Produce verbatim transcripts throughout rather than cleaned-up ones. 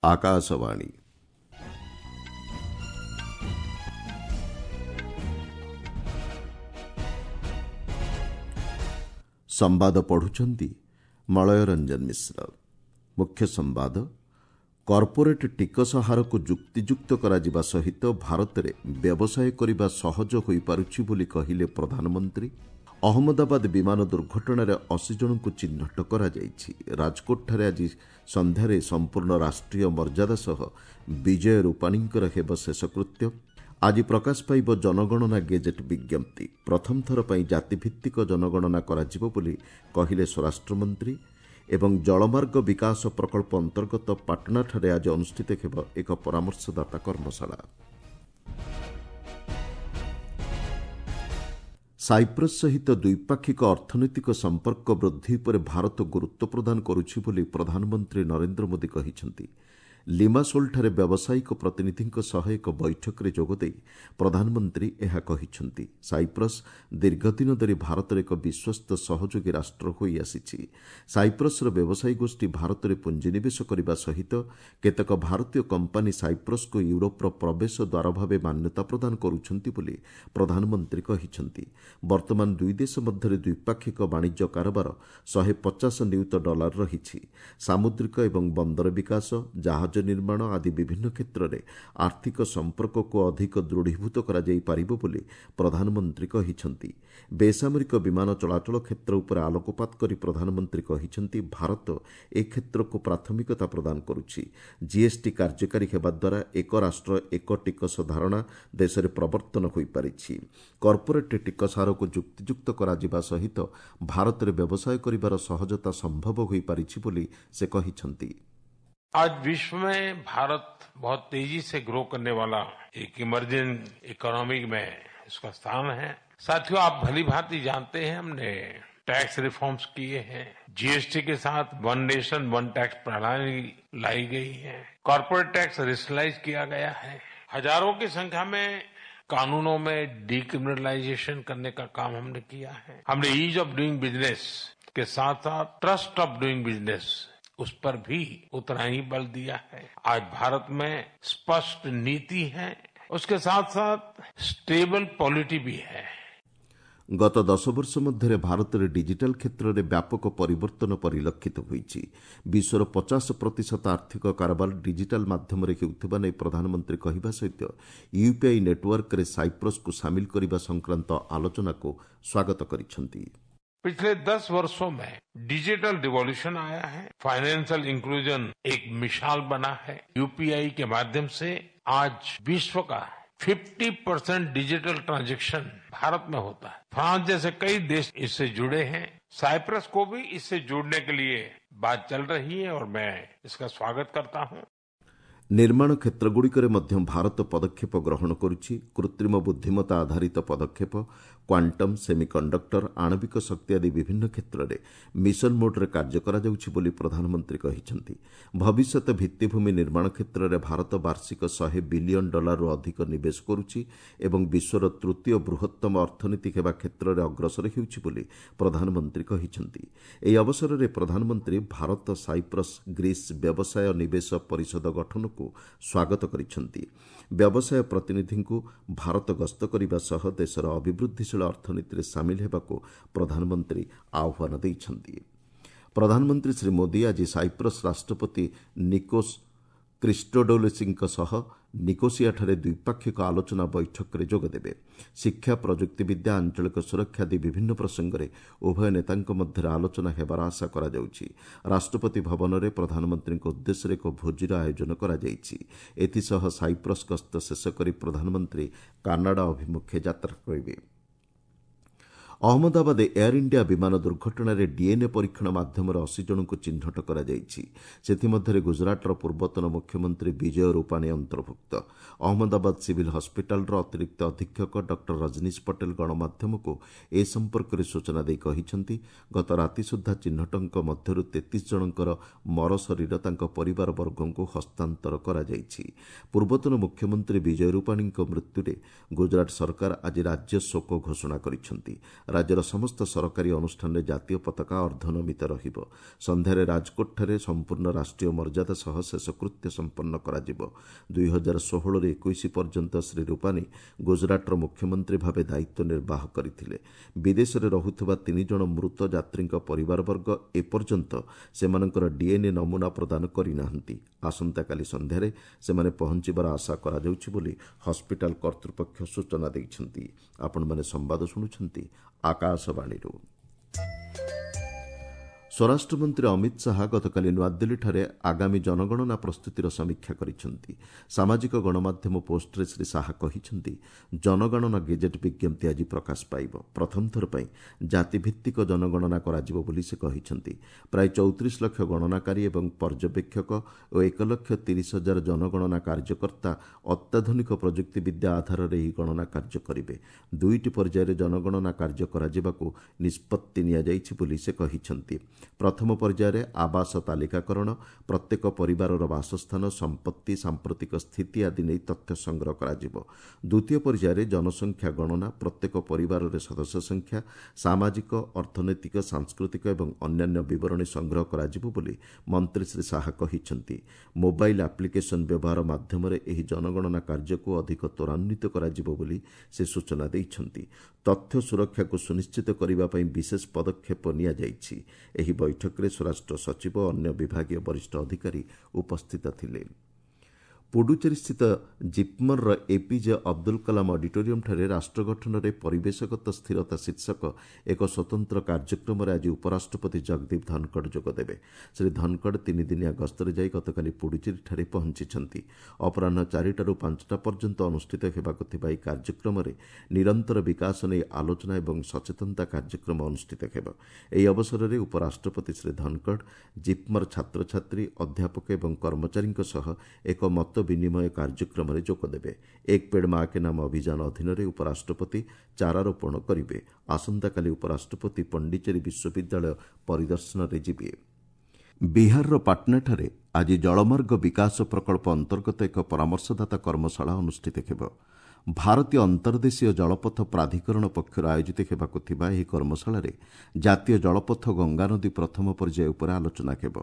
ଆକାଶବାଣୀ। ସମ୍ବାଦ ପଢୁଛନ୍ତି ମଳୟ ରଞ୍ଜନ ମିଶ୍ର। ମୁଖ୍ୟ ସମ୍ବାଦ, କର୍ପୋରେଟ୍ ଟିକସ ହାରକୁ ଯୁକ୍ତିଯୁକ୍ତ କରାଯିବା ସହିତ ଭାରତରେ ବ୍ୟବସାୟ କରିବା ସହଜ ହୋଇପାରୁଛି ବୋଲି କହିଲେ ପ୍ରଧାନମନ୍ତ୍ରୀ। ଅହମ୍ମଦାବାଦ ବିମାନ ଦୁର୍ଘଟଣାରେ ଅଶୀ ଜଣଙ୍କୁ ଚିହ୍ନଟ କରାଯାଇଛି। ରାଜକୋଟଠାରେ ଆଜି ସନ୍ଧ୍ୟାରେ ସମ୍ପୂର୍ଣ୍ଣ ରାଷ୍ଟ୍ରୀୟ ମର୍ଯ୍ୟାଦା ସହ ବିଜୟ ରୂପାଣୀଙ୍କର ହେବ ଶେଷକୃତ୍ୟ। ଆଜି ପ୍ରକାଶ ପାଇବ ଜନଗଣନା ଗେଜେଟ୍ ବିଜ୍ଞପ୍ତି। ପ୍ରଥମ ଥର ପାଇଁ ଜାତିଭିତ୍ତିକ ଜନଗଣନା କରାଯିବ ବୋଲି କହିଲେ ସ୍ୱରାଷ୍ଟ୍ରମନ୍ତ୍ରୀ। ଏବଂ ଜଳମାର୍ଗ ବିକାଶ ପ୍ରକଳ୍ପ ଅନ୍ତର୍ଗତ ପାଟଣାଠାରେ ଆଜି ଅନୁଷ୍ଠିତ ହେବ ଏକ ପରାମର୍ଶଦାତା କର୍ମଶାଳା। ସାଇପ୍ରସ୍ ସହିତ ଦ୍ୱିପାକ୍ଷିକ ଅର୍ଥନୈତିକ ସମ୍ପର୍କ ବୃଦ୍ଧି ଉପରେ ଭାରତ ଗୁରୁତ୍ୱ ପ୍ରଦାନ କରୁଛି ବୋଲି ପ୍ରଧାନମନ୍ତ୍ରୀ ନରେନ୍ଦ୍ର ମୋଦି କହିଛନ୍ତି। ଲିମାସୋଲଠାରେ ବ୍ୟବସାୟିକ ପ୍ରତିନିଧିଙ୍କ ସହ ଏକ ବୈଠକରେ ଯୋଗଦେଇ ପ୍ରଧାନମନ୍ତ୍ରୀ ଏହା କହିଛନ୍ତି। ସାଇପ୍ରସ୍ ଦୀର୍ଘଦିନ ଧରି ଭାରତର ଏକ ବିଶ୍ୱସ୍ତ ସହଯୋଗୀ ରାଷ୍ଟ୍ର ହୋଇଆସିଛି। ସାଇପ୍ରସ୍ର ବ୍ୟବସାୟୀ ଗୋଷ୍ଠୀ ଭାରତରେ ପୁଞ୍ଜିନିବେଶ କରିବା ସହିତ କେତେକ ଭାରତୀୟ କମ୍ପାନୀ ସାଇପ୍ରସ୍କୁ ୟୁରୋପର ପ୍ରବେଶ ଦ୍ୱାର ଭାବେ ମାନ୍ୟତା ପ୍ରଦାନ କରୁଛନ୍ତି ବୋଲି ପ୍ରଧାନମନ୍ତ୍ରୀ କହିଛନ୍ତି। ବର୍ତ୍ତମାନ ଦୁଇ ଦେଶ ମଧ୍ୟରେ ଦ୍ୱିପାକ୍ଷିକ ବାଣିଜ୍ୟ କାରବାର ଶହେ ପଚାଶ ନିୟୁତ ଡଲାର ରହିଛି। ସାମୁଦ୍ରିକ ଏବଂ ବନ୍ଦର ବିକାଶ, ଜାହାଜ ନିର୍ମାଣ ଆଦି ବିଭିନ୍ନ କ୍ଷେତ୍ରରେ ଆର୍ଥିକ ସମ୍ପର୍କକୁ ଅଧିକ ଦୃଢ଼ୀଭୂତ କରାଯାଇପାରିବ ବୋଲି ପ୍ରଧାନମନ୍ତ୍ରୀ କହିଛନ୍ତି। ବେସାମରିକ ବିମାନ ଚଳାଚଳ କ୍ଷେତ୍ର ଉପରେ ଆଲୋକପାତ କରି ପ୍ରଧାନମନ୍ତ୍ରୀ କହିଛନ୍ତି, ଭାରତ ଏ କ୍ଷେତ୍ରକୁ ପ୍ରାଥମିକତା ପ୍ରଦାନ କରୁଛି। ଜିଏସ୍ଟି କାର୍ଯ୍ୟକାରୀ ହେବା ଦ୍ୱାରା ଏକ ରାଷ୍ଟ୍ର ଏକ ଟିକସ ଧାରଣା ଦେଶରେ ପ୍ରବର୍ତ୍ତନ ହୋଇପାରିଛି। କର୍ପୋରେଟ୍ ଟିକସ ହାରକୁ ଯୁକ୍ତିଯୁକ୍ତ କରାଯିବା ସହିତ ଭାରତରେ ବ୍ୟବସାୟ କରିବାର ସହଜତା ସମ୍ଭବ ହୋଇପାରିଛି ବୋଲି ସେ କହିଛନ୍ତି। आज विश्व में भारत बहुत तेजी से ग्रो करने वाला एक इमर्जिंग इकोनॉमी में इसका स्थान है। साथियों, आप भली भांति जानते हैं हमने टैक्स रिफॉर्म्स किए हैं। जीएसटी के साथ वन नेशन वन टैक्स प्रणाली लाई गई है। कॉर्पोरेट टैक्स रेशनलाइज किया गया है। हजारों की संख्या में कानूनों में डिक्रिमिनलाइजेशन करने का काम हमने किया है। हमने ईज ऑफ डूइंग बिजनेस के साथ साथ ट्रस्ट ऑफ डूइंग बिजनेस, उस पर भी उतना ही बल दिया है। आज भारत में स्पष्ट नीति है, उसके साथ साथ स्टेबल पॉलिटी भी है। ଗତ ଦଶ ବର୍ଷ ମଧ୍ୟରେ ଭାରତରେ ଡିଜିଟାଲ କ୍ଷେତ୍ରରେ ବ୍ୟାପକ ପରିବର୍ତ୍ତନ ପରିଲକ୍ଷିତ ହୋଇଛି। ବିଶ୍ୱର ପଚାଶ ପ୍ରତିଶତ ଆର୍ଥିକ କାରବାର ଡିଜିଟାଲ ମାଧ୍ୟମରେ ହେଉଥିବା ନେଇ ପ୍ରଧାନମନ୍ତ୍ରୀ କହିବା ସହିତ ୟୁପିଆଇ ନେଟୱାର୍କରେ ସାଇପ୍ରସ୍କୁ ସାମିଲ କରିବା ସଂକ୍ରାନ୍ତ ଆଲୋଚନାକୁ ସ୍ୱାଗତ କରିଛନ୍ତି। पिछले दस वर्षों में डिजिटल रिवॉल्यूशन आया है। फाइनेंशियल इंक्लूजन एक मिसाल बना है। यूपीआई के माध्यम से आज विश्व का पचास परसेंट डिजिटल ट्रांजैक्शन भारत में होता है। फ्रांस जैसे कई देश इससे जुड़े हैं। साइप्रस को भी इससे जुड़ने के लिए बात चल रही है और मैं इसका स्वागत करता हूं। ନିର୍ମାଣ କ୍ଷେତ୍ରଗୁଡ଼ିକରେ ମଧ୍ୟ ଭାରତ ପଦକ୍ଷେପ ଗ୍ରହଣ କରୁଛି। କୃତ୍ରିମ ବୁଦ୍ଧିମତ୍ତା ଆଧାରିତ ପଦକ୍ଷେପ, କ୍ୱାଣ୍ଟମ୍, ସେମିକଣ୍ଡକ୍ଟର, ଆଣବିକ ଶକ୍ତି ଆଦି ବିଭିନ୍ନ କ୍ଷେତ୍ରରେ ମିଶନ ମୋଡ୍ରେ କାର୍ଯ୍ୟ କରାଯାଉଛି ବୋଲି ପ୍ରଧାନମନ୍ତ୍ରୀ କହିଛନ୍ତି। ଭବିଷ୍ୟତ ଭିତ୍ତିଭୂମି ନିର୍ମାଣ କ୍ଷେତ୍ରରେ ଭାରତ ବାର୍ଷିକ ଶହେ ବିଲିୟନ ଡଲାରରୁ ଅଧିକ ନିବେଶ କରୁଛି ଏବଂ ବିଶ୍ୱର ତୃତୀୟ ବୃହତ୍ତମ ଅର୍ଥନୀତି ହେବା କ୍ଷେତ୍ରରେ ଅଗ୍ରସର ହେଉଛି ବୋଲି ପ୍ରଧାନମନ୍ତ୍ରୀ କହିଛନ୍ତି। ଏହି ଅବସରରେ ପ୍ରଧାନମନ୍ତ୍ରୀ ଭାରତ ସାଇପ୍ରସ୍ ଗ୍ରୀସ୍ ବ୍ୟବସାୟ ନିବେଶ ପରିଷଦ ଗଠନକୁ ସ୍ୱାଗତ କରିଛନ୍ତି। ବ୍ୟବସାୟ ପ୍ରତିନିଧିଙ୍କୁ ଭାରତ ଗସ୍ତ କରିବା ସହ ଦେଶର ଅଭିବୃଦ୍ଧିଶୀଳ ଅର୍ଥନୀତିରେ ସାମିଲ ହେବାକୁ ପ୍ରଧାନମନ୍ତ୍ରୀ ଆହ୍ୱାନ ଦେଇଛନ୍ତି। ପ୍ରଧାନମନ୍ତ୍ରୀ ଶ୍ରୀ ମୋଦି ଆଜି ସାଇପ୍ରସ୍ ରାଷ୍ଟ୍ରପତି ନିକୋସ୍ କ୍ରିଷ୍ଟୋଡୋଲିସିଙ୍କ ସହ ନିକୋସିଆଠାରେ ଦ୍ୱିପାକ୍ଷିକ ଆଲୋଚନା ବୈଠକରେ ଯୋଗଦେବେ। ଶିକ୍ଷା, ପ୍ରଯୁକ୍ତିବିଦ୍ୟା, ଆଞ୍ଚଳିକ ସୁରକ୍ଷା ଆଦି ବିଭିନ୍ନ ପ୍ରସଙ୍ଗରେ ଉଭୟ ନେତାଙ୍କ ମଧ୍ୟରେ ଆଲୋଚନା ହେବାର ଆଶା କରାଯାଉଛି। ରାଷ୍ଟ୍ରପତି ଭବନରେ ପ୍ରଧାନମନ୍ତ୍ରୀଙ୍କ ଉଦ୍ଦେଶ୍ୟରେ ଏକ ଭୋଜିର ଆୟୋଜନ କରାଯାଇଛି। ଏଥିସହ ସାଇପ୍ରସ୍ ଗସ୍ତ ଶେଷ କରି ପ୍ରଧାନମନ୍ତ୍ରୀ କାନାଡା ଅଭିମୁଖେ ଯାତ୍ରା କରିବେ। ଅହମ୍ମଦାବାଦ ଏୟାର ଇଣ୍ଡିଆ ବିମାନ ଦୁର୍ଘଟଣାରେ ଡିଏନ୍ଏ ପରୀକ୍ଷଣ ମାଧ୍ୟମରେ ଅଶୀ ଜଣଙ୍କୁ ଚିହ୍ନଟ କରାଯାଇଛି। ସେଥିମଧ୍ୟରେ ଗୁଜରାଟର ପୂର୍ବତନ ମୁଖ୍ୟମନ୍ତ୍ରୀ ବିଜୟ ରୂପାଣୀ ଅନ୍ତର୍ଭୁକ୍ତ। ଅହମ୍ମଦାବାଦ ସିଭିଲ୍ ହସ୍ପିଟାଲର ଅତିରିକ୍ତ ଅଧୀକ୍ଷକ ଡକ୍ଟର ରଜନୀଶ ପଟେଲ ଗଣମାଧ୍ୟମକୁ ଏ ସମ୍ପର୍କରେ ସୂଚନା ଦେଇ କହିଛନ୍ତି, ଗତ ରାତି ସୁଦ୍ଧା ଚିହ୍ନଟଙ୍କ ମଧ୍ୟରୁ ତେତିଶ ଜଣଙ୍କର ମରଶରୀର ତାଙ୍କ ପରିବାର ବର୍ଗଙ୍କୁ ହସ୍ତାନ୍ତର କରାଯାଇଛି। ପୂର୍ବତନ ମୁଖ୍ୟମନ୍ତ୍ରୀ ବିଜୟ ରୂପାଣୀଙ୍କ ମୃତ୍ୟୁରେ ଗୁଜରାଟ ସରକାର ଆଜି ରାଜ୍ୟ ଶୋକ ଘୋଷଣା କରିଛନ୍ତି। ରାଜ୍ୟର ସମସ୍ତ ସରକାରୀ ଅନୁଷ୍ଠାନରେ ଜାତୀୟ ପତାକା ଅର୍ଦ୍ଧନମିତ ରହିବ। ସନ୍ଧ୍ୟାରେ ରାଜକୋଟଠାରେ ସମ୍ପୂର୍ଣ୍ଣ ରାଷ୍ଟ୍ରୀୟ ମର୍ଯ୍ୟାଦା ସହ ଶେଷକୃତ୍ୟ ସମ୍ପନ୍ନ କରାଯିବ। ଦୁଇ ହଜାର ଷୋହଳରୁ ଏକୋଇଶ ପର୍ଯ୍ୟନ୍ତ ଶ୍ରୀ ରୂପାନୀ ଗୁଜରାଟର ମୁଖ୍ୟମନ୍ତ୍ରୀ ଭାବେ ଦାୟିତ୍ୱ ନିର୍ବାହ କରିଥିଲେ। ବିଦେଶରେ ରହୁଥିବା ତିନି ଜଣ ମୃତ ଯାତ୍ରୀଙ୍କ ପରିବାରବର୍ଗ ଏପର୍ଯ୍ୟନ୍ତ ସେମାନଙ୍କର ଡିଏନ୍ଏ ନମୁନା ପ୍ରଦାନ କରିନାହାନ୍ତି। ଆସନ୍ତାକାଲି ସନ୍ଧ୍ୟାରେ ସେମାନେ ପହଞ୍ଚିବାର ଆଶା କରାଯାଉଛି ବୋଲି ହସ୍ପିଟାଲ କର୍ତ୍ତୃପକ୍ଷ ସୂଚନା ଦେଇଛନ୍ତି। ଆପଣମାନେ ସମ୍ବାଦ ଶୁଣୁଛନ୍ତି ଆକାଶବାଣୀରୁ। ସ୍ୱରାଷ୍ଟ୍ରମନ୍ତ୍ରୀ ଅମିତ ଶାହା ଗତକାଲି ନୂଆଦିଲ୍ଲୀଠାରେ ଆଗାମୀ ଜନଗଣନା ପ୍ରସ୍ତୁତିର ସମୀକ୍ଷା କରିଛନ୍ତି। ସାମାଜିକ ଗଣମାଧ୍ୟମ ପୋଷ୍ଟରେ ଶ୍ରୀ ଶାହା କହିଛନ୍ତି, ଜନଗଣନା ଗେଜେଟ୍ ବିଜ୍ଞପ୍ତି ଆଜି ପ୍ରକାଶ ପାଇବ। ପ୍ରଥମ ଥର ପାଇଁ ଜାତିଭିତ୍ତିକ ଜନଗଣନା କରାଯିବ ବୋଲି ସେ କହିଛନ୍ତି। ପ୍ରାୟ ଚଉତିରିଶ ଲକ୍ଷ ଗଣନାକାରୀ ଏବଂ ପର୍ଯ୍ୟବେକ୍ଷକ ଓ ଏକ ଲକ୍ଷ ତିରିଶ ହଜାର ଜନଗଣନା କାର୍ଯ୍ୟକର୍ତ୍ତା ଅତ୍ୟାଧୁନିକ ପ୍ରଯୁକ୍ତିବିଦ୍ୟା ଆଧାରରେ ଏହି ଗଣନା କାର୍ଯ୍ୟ କରିବେ। ଦୁଇଟି ପର୍ଯ୍ୟାୟରେ ଜନଗଣନା କାର୍ଯ୍ୟ କରାଯିବାକୁ ନିଷ୍ପତ୍ତି ନିଆଯାଇଛି ବୋଲି ସେ କହିଛନ୍ତି। ପ୍ରଥମ ପର୍ଯ୍ୟାୟରେ ଆବାସ ତାଲିକାକରଣ, ପ୍ରତ୍ୟେକ ପରିବାରର ବାସସ୍ଥାନ, ସମ୍ପତ୍ତି, ସାମ୍ପ୍ରତିକ ସ୍ଥିତି ଆଦି ନେଇ ତଥ୍ୟ ସଂଗ୍ରହ କରାଯିବ। ଦ୍ୱିତୀୟ ପର୍ଯ୍ୟାୟରେ ଜନସଂଖ୍ୟା ଗଣନା, ପ୍ରତ୍ୟେକ ପରିବାରରେ ସଦସ୍ୟ ସଂଖ୍ୟା, ସାମାଜିକ, ଅର୍ଥନୈତିକ, ସାଂସ୍କୃତିକ ଏବଂ ଅନ୍ୟାନ୍ୟ ବିବରଣୀ ସଂଗ୍ରହ କରାଯିବ ବୋଲି ମନ୍ତ୍ରୀ ଶ୍ରୀ ଶାହା କହିଛନ୍ତି। ମୋବାଇଲ୍ ଆପ୍ଲିକେସନ୍ ବ୍ୟବହାର ମାଧ୍ୟମରେ ଏହି ଜନଗଣନା କାର୍ଯ୍ୟକୁ ଅଧିକ ତ୍ୱରାନ୍ୱିତ କରାଯିବ ବୋଲି ସେ ସୂଚନା ଦେଇଛନ୍ତି। ତଥ୍ୟ ସୁରକ୍ଷାକୁ ସୁନିଶ୍ଚିତ କରିବା ପାଇଁ ବିଶେଷ ପଦକ୍ଷେପ ନିଆଯାଇଛି। ଏହି ବୈଠକରେ ସ୍ୱରାଷ୍ଟ୍ର ସଚିବ ଓ ଅନ୍ୟ ବିଭାଗୀୟ ବରିଷ୍ଠ ଅଧିକାରୀ ଉପସ୍ଥିତ ଥିଲେ। ପୁଡୁଚେରୀସ୍ଥିତ ଜିପ୍ମର୍ର ଏପିଜେ ଅବଦୁଲ କଲାମ ଅଡିଟୋରିୟମ୍ଠାରେ ରାଷ୍ଟ୍ର ଗଠନରେ ପରିବେଶଗତ ସ୍ଥିରତା ଶୀର୍ଷକ ଏକ ସ୍ୱତନ୍ତ୍ର କାର୍ଯ୍ୟକ୍ରମରେ ଆଜି ଉପରାଷ୍ଟ୍ରପତି ଜଗଦୀପ ଧନଖଡ଼ ଯୋଗଦେବେ। ଶ୍ରୀ ଧନଖଡ଼ ତିନିଦିନିଆ ଗସ୍ତରେ ଯାଇ ଗତକାଲି ପୁଡୁଚେରୀଠାରେ ପହଞ୍ଚିଛନ୍ତି। ଅପରାହ୍ନ ଚାରିଟାରୁ ପାଞ୍ଚଟା ପର୍ଯ୍ୟନ୍ତ ଅନୁଷ୍ଠିତ ହେବାକୁ ଥିବା ଏହି କାର୍ଯ୍ୟକ୍ରମରେ ନିରନ୍ତର ବିକାଶ ନେଇ ଆଲୋଚନା ଏବଂ ସଚେତନତା କାର୍ଯ୍ୟକ୍ରମ ଅନୁଷ୍ଠିତ ହେବ। ଏହି ଅବସରରେ ଉପରାଷ୍ଟ୍ରପତି ଶ୍ରୀ ଧନଖଡ଼ ଜିପ୍ମର୍ ଛାତ୍ରଛାତ୍ରୀ, ଅଧ୍ୟାପକ ଏବଂ କର୍ମଚାରୀଙ୍କ ସହ ଏକ ମତ ବିନିମୟ କାର୍ଯ୍ୟକ୍ରମରେ ଯୋଗଦେବେ। ଏକ ପେଡ଼ ମା କେ ନାମ ଅଭିଯାନ ଅଧୀନରେ ଉପରାଷ୍ଟ୍ରପତି ଚାରାରୋପଣ କରିବେ। ଆସନ୍ତାକାଲି ଉପରାଷ୍ଟ୍ରପତି ପଣ୍ଡିଚେରୀ ବିଶ୍ୱବିଦ୍ୟାଳୟ ପରିଦର୍ଶନରେ ଯିବେ। ବିହାରର ପାଟନାଠାରେ ଆଜି ଜଳମାର୍ଗ ବିକାଶ ପ୍ରକଳ୍ପ ଅନ୍ତର୍ଗତ ଏକ ପରାମର୍ଶଦାତା କର୍ମଶାଳା ଅନୁଷ୍ଠିତ ହେବ। ଭାରତୀୟ ଅନ୍ତର୍ଦେଶୀୟ ଜଳପଥ ପ୍ରାଧିକରଣ ପକ୍ଷରୁ ଆୟୋଜିତ ହେବାକୁ ଥିବା ଏହି କର୍ମଶାଳାରେ ଜାତୀୟ ଜଳପଥ ଗଙ୍ଗାନଦୀ ପ୍ରଥମ ପର୍ଯ୍ୟାୟ ଉପରେ ଆଲୋଚନା ହେବ।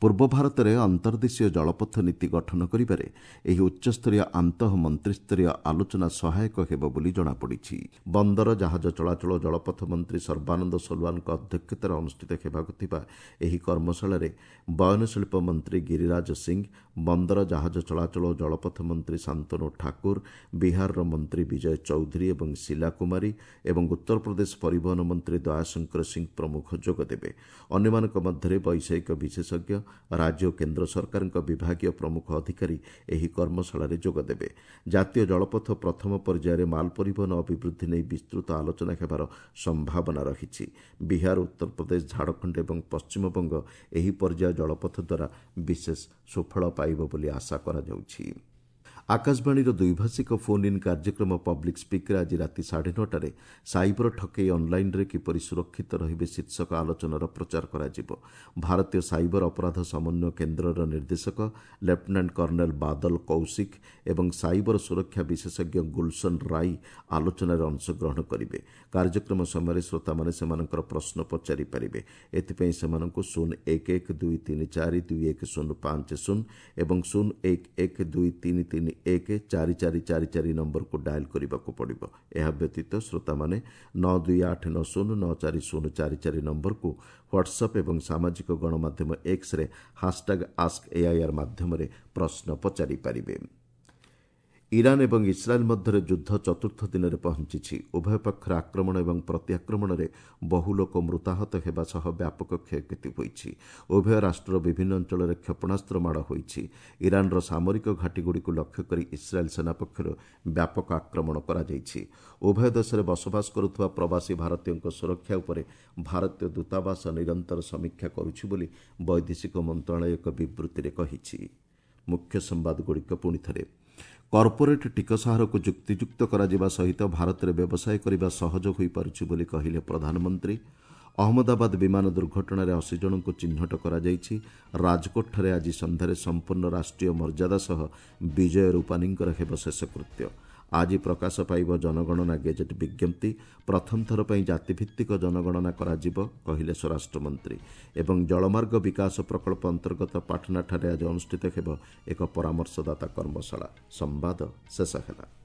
ପୂର୍ବ ଭାରତରେ ଅନ୍ତର୍ଦେଶୀୟ ଜଳପଥ ନୀତି ଗଠନ କରିବାରେ ଏହି ଉଚ୍ଚସ୍ତରୀୟ ଆନ୍ତଃ ମନ୍ତ୍ରିସ୍ତରୀୟ ଆଲୋଚନା ସହାୟକ ହେବ ବୋଲି ଜଣାପଡ଼ିଛି। ବନ୍ଦର, ଜାହାଜ ଚଳାଚଳ ଓ ଜଳପଥ ମନ୍ତ୍ରୀ ସର୍ବାନନ୍ଦ ସୋନୋୱାଲଙ୍କ ଅଧ୍ୟକ୍ଷତାରେ ଅନୁଷ୍ଠିତ ହେବାକୁ ଥିବା ଏହି କର୍ମଶାଳାରେ ବୟନଶିଳ୍ପ ମନ୍ତ୍ରୀ ଗିରିରାଜ ସିଂ, ବନ୍ଦର, ଜାହାଜ ଚଳାଚଳ ଓ ଜଳପଥ ମନ୍ତ୍ରୀ ଶାନ୍ତନୁ ଠାକୁର, ବିହାରର ମନ୍ତ୍ରୀ ବିଜୟ ଚୌଧୁରୀ ଏବଂ ଶିଲା କୁମାରୀ ଏବଂ ଉତ୍ତରପ୍ରଦେଶ ପରିବହନ ମନ୍ତ୍ରୀ ଦୟାଶଙ୍କର ସିଂ ପ୍ରମୁଖ ଯୋଗଦେବେ। ଅନ୍ୟମାନଙ୍କ ମଧ୍ୟରେ ବୈଷୟିକ ବିଶେଷଜ୍ଞ, ରାଜ୍ୟ ଓ କେନ୍ଦ୍ର ସରକାରଙ୍କ ବିଭାଗୀୟ ପ୍ରମୁଖ ଅଧିକାରୀ ଏହି କର୍ମଶାଳାରେ ଯୋଗଦେବେ। ଜାତୀୟ ଜଳପଥ ପ୍ରଥମ ପର୍ଯ୍ୟାୟରେ ମାଲ ପରିବହନ ଅଭିବୃଦ୍ଧି ନେଇ ବିସ୍ତୃତ ଆଲୋଚନା ହେବାର ସମ୍ଭାବନା ରହିଛି। ବିହାର, ଉତ୍ତରପ୍ରଦେଶ, ଝାଡ଼ଖଣ୍ଡ ଏବଂ ପଶ୍ଚିମବଙ୍ଗ ଏହି ପର୍ଯ୍ୟାୟ ଜଳପଥ ଦ୍ୱାରା ବିଶେଷ ସୁଫଳ ପାଇବ ବୋଲି ଆଶା କରାଯାଉଛି। ଆକାଶବାଣୀର ଦ୍ୱିଭାଷିକ ଫୋନ୍ ଇନ୍ କାର୍ଯ୍ୟକ୍ରମ ପବ୍ଲିକ୍ ସ୍ପିକ୍ରେ ଆଜି ରାତି ସାଢ଼େ ନଅଟାରେ ସାଇବର ଠକେଇ ଅନ୍ଲାଇନ୍ରେ କିପରି ସୁରକ୍ଷିତ ରହିବେ ଶୀର୍ଷକ ଆଲୋଚନାର ପ୍ରଚାର କରାଯିବ। ଭାରତୀୟ ସାଇବର ଅପରାଧ ସମନ୍ୱୟ କେନ୍ଦ୍ରର ନିର୍ଦ୍ଦେଶକ ଲେଫ୍ଟନାଣ୍ଟ କର୍ଣ୍ଣେଲ ବାଦଲ କୌଶିକ ଏବଂ ସାଇବର ସୁରକ୍ଷା ବିଶେଷଜ୍ଞ ଗୁଲସନ ରାଇ ଆଲୋଚନାରେ ଅଂଶଗ୍ରହଣ କରିବେ। କାର୍ଯ୍ୟକ୍ରମ ସମୟରେ ଶ୍ରୋତାମାନେ ସେମାନଙ୍କର ପ୍ରଶ୍ନ ପଚାରିପାରିବେ। ଏଥିପାଇଁ ସେମାନଙ୍କୁ ଶୂନ ଏକ ଏକ ଦୁଇ ତିନି ଚାରି ଦୁଇ ଏକ ଶୂନ ପାଞ୍ଚ ଶୂନ ଏବଂ ଶୂନ ଏକ ଏକ ଦୁଇ ତିନି ତିନି ଏକ ଚାରି ଚାରି ଚାରି ଚାରି ନମ୍ବରକୁ ଡାଏଲ୍ କରିବାକୁ ପଡ଼ିବ। ଏହା ବ୍ୟତୀତ ଶ୍ରୋତାମାନେ ନଅ ଦୁଇ ଆଠ ନଅ ଶୂନ ନଅ ଚାରି ଶୂନ ଚାରି ଚାରି ନମ୍ବରକୁ ହ୍ୱାଟ୍ସଆପ୍ ଏବଂ ସାମାଜିକ ଗଣମାଧ୍ୟମ ଏକ୍ସରେ ହାସଟ୍ୟାଗ୍ ଆସ୍କ ଏଆଇଆର୍ ମାଧ୍ୟମରେ ପ୍ରଶ୍ନ ପଚାରିପାରିବେ। ଇରାନ୍ ଏବଂ ଇସ୍ରାଏଲ୍ ମଧ୍ୟରେ ଯୁଦ୍ଧ ଚତୁର୍ଥ ଦିନରେ ପହଞ୍ଚିଛି। ଉଭୟ ପକ୍ଷର ଆକ୍ରମଣ ଏବଂ ପ୍ରତିଆକ୍ରମଣରେ ବହୁ ଲୋକ ମୃତାହତ ହେବା ସହ ବ୍ୟାପକ କ୍ଷୟକ୍ଷତି ହୋଇଛି। ଉଭୟ ରାଷ୍ଟ୍ରର ବିଭିନ୍ନ ଅଞ୍ଚଳରେ କ୍ଷେପଣାସ୍ତ୍ର ମାଡ଼ ହୋଇଛି। ଇରାନ୍ର ସାମରିକ ଘାଟିଗୁଡ଼ିକୁ ଲକ୍ଷ୍ୟ କରି ଇସ୍ରାଏଲ୍ ସେନା ପକ୍ଷରୁ ବ୍ୟାପକ ଆକ୍ରମଣ କରାଯାଇଛି। ଉଭୟ ଦେଶରେ ବସବାସ କରୁଥିବା ପ୍ରବାସୀ ଭାରତୀୟଙ୍କ ସୁରକ୍ଷା ଉପରେ ଭାରତୀୟ ଦୂତାବାସ ନିରନ୍ତର ସମୀକ୍ଷା କରୁଛି ବୋଲି ବୈଦେଶିକ ମନ୍ତ୍ରଣାଳୟ ଏକ ବିବୃତ୍ତିରେ କହିଛି। ମୁଖ୍ୟ ସମ୍ବାଦଗୁଡ଼ିକ ପୁଣିଥରେ କର୍ପୋରେଟ୍ ଟିକସ ହାରକୁ ଯୁକ୍ତିଯୁକ୍ତ କରାଯିବା ସହିତ ଭାରତରେ ବ୍ୟବସାୟ କରିବା ସହଜ ହୋଇପାରୁଛି ବୋଲି କହିଲେ ପ୍ରଧାନମନ୍ତ୍ରୀ। ଅହମ୍ମଦାବାଦ ବିମାନ ଦୁର୍ଘଟଣାରେ ଅଶୀ ଜଣଙ୍କୁ ଚିହ୍ନଟ କରାଯାଇଛି। ରାଜକୋଟଠାରେ ଆଜି ସନ୍ଧ୍ୟାରେ ସମ୍ପୂର୍ଣ୍ଣ ରାଷ୍ଟ୍ରୀୟ ମର୍ଯ୍ୟାଦା ସହ ବିଜୟ ରୂପାନୀଙ୍କର ହେବ ଶେଷକୃତ୍ୟ। ଆଜି ପ୍ରକାଶ ପାଇବ ଜନଗଣନା ଗେଜେଟ୍ ବିଜ୍ଞପ୍ତି। ପ୍ରଥମ ଥର ପାଇଁ ଜାତିଭିତ୍ତିକ ଜନଗଣନା କରାଯିବ, କହିଲେ ସ୍ୱରାଷ୍ଟ୍ରମନ୍ତ୍ରୀ। ଏବଂ ଜଳମାର୍ଗ ବିକାଶ ପ୍ରକଳ୍ପ ଅନ୍ତର୍ଗତ ପାଟନାଠାରେ ଆଜି ଅନୁଷ୍ଠିତ ହେବ ଏକ ପରାମର୍ଶଦାତା କର୍ମଶାଳା। ସମ୍ବାଦ ଶେଷ ହେଲା।